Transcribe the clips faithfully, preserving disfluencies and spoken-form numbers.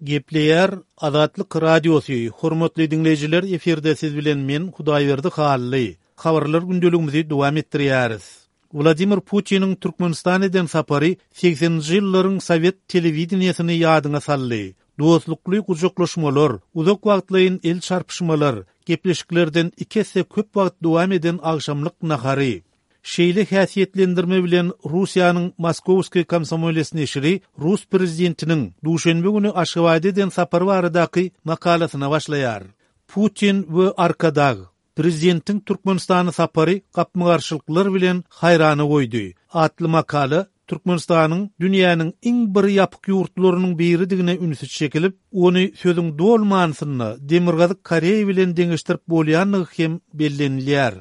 Gepleýär Azatlyk Radiosy, Hormatly diňleýjiler efirde siz bilen men Hudaýberdi Hally. Habarlar gündeligimizi dowam etdirýäris. Wladimir Putiniň Türkmenistana eden sapary segseninji ýyllaryň sowet telewideniýesini ýadyňa saldy. Dostlukly gujaklaşmalar, uzak wagtlaýyn el çarpyşmalar, gepleşiklerden iki esse köp wagt dowam eden agşamlyk nahary. Şeýle häsiýetlendirme bilen Russiýanyň Moskowskiý komsomoles neşiri rus prezidentiniň duşenbe güni Aşgabatda eden sapary baradaky makalasyna başlaýar. Putin we Arkadag, Prezidentiň Türkmenistana sapary gapma-garşylyklar bilen haýrana goýdy atly makala Türkmenistanyň dünýäniň iň bir ýapyk ýurtlarynyň biridigine ünsi çekilip, ony sözüň doly manysynda Demirgazyk Koreýa bilen deňeşdirip bolýandygy hem bellenilýär.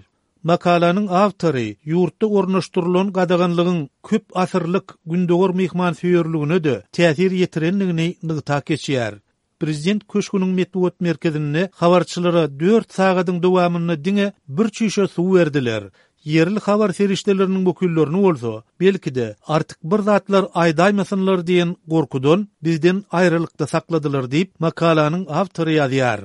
Makalanyň awtory ýurtda ornaşdyrylan gadaganlygyň köp asyrlyk gündogar myhmansöýerligine-de täsir ýetirendigini nygtap geçýär. Prezident köşgüniň metbugat merkezinde habarçylara dört sagadyň dowamynda diňe bir çüýşe suw berdiler. Ýerli habar serişdeleriniň wekillerini bolsa, belki-de, artyk bir zatlar aýdaýmasynlar diýen gorkudan bizden aýralykda sakladylar diýip, makalanyň awtory ýazýar.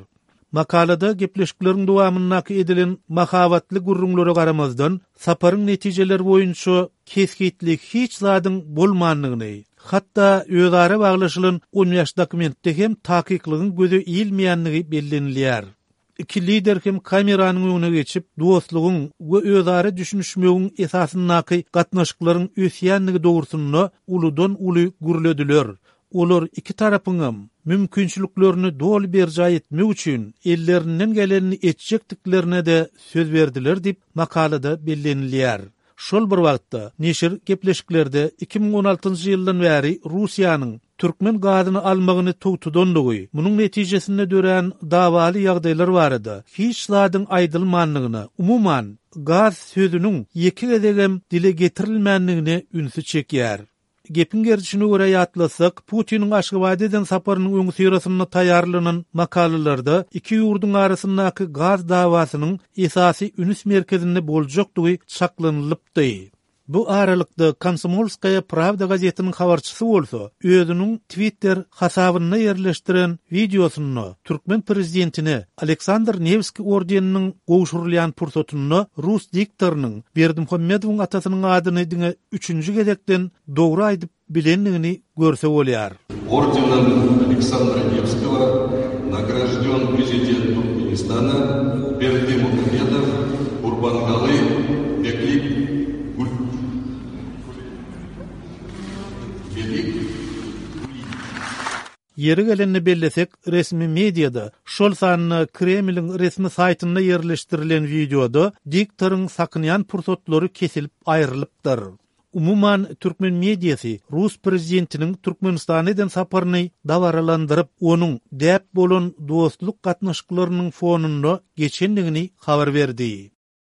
Makalada gepleşikleriň dowamyndaky edilen mahabatly gürrüňlere garamazdan, saparyň netijeleri boýunça kesgitli hiç zadyň bolmandygyny, hatda özara baglaşylan on bäş dokumentde hem takyklygyň göze ilmeýändigi bellenilýär. Iki lider hem kameranyň öňüne geçip, dostlugyň we özara düşünişmegiň esasyndaky gatnaşyklaryň ösýändigi dogrusynda uludan-uly gürlediler. Olar iki tarapyňam mümkinçiliklerini doly berjaý etmek üçin ellerinden gelenini etjekdiklerine-de söz berdiler diýip, makalada bellenilýär. Şol bir wagtda, neşir gepleşiklerde iki müň on altynjy ýyldan bäri Russiýanyň türkmen gazyny almagyny togtadandygy, munuň netijesinde dörän dawaly ýagdaýlar barada hiç zadyň aýdylmandygyna, umuman, gaz sözüniň ýeke gezegem dile getirilmändigine ünsi çekýär. Gepiň gerdişine görä ýatlasak, Putiniň Aşgabada eden saparynyň öňüsyrasynda taýýarlanan makalalarda iki ýurduň arasyndaky gaz dawasynyň esasy üns merkezinde boljakdygy çaklanylypdy. Bu aralykda Komsomolskaýa Prawda gazetiniň habarçysy bolsa, özüniň Twitter hasabynda ýerleşdiren wideosynda türkmen prezidentine Aleksandr Newskiý ordeniniň gowşurylýan pursatynda rus diktorynyň Berdimuhamedowyň atasynyň adyny diňe üçünji gezekden dogry aýdyp bilendigini görse bolýar. Ordenom Aleksandra Newskogo nagraždен prezident Türkmenistana Berdimuhamedow Gurbanguly Beklik Belik Ýeri gelende bellesek, resmi mediada, şol sanda Kremliň resmi saýtynda ýerleşdirilen wideoda diktoryň sakynýan pursatlary kesilip aýrylypdyr. Umuman, türkmen mediasy rus prezidentiniň Türkmenistana eden saparyny dabaralandyryp, onuň däp bolan dostluk gatnaşyklarynyň fonunda geçendigini habar berdi.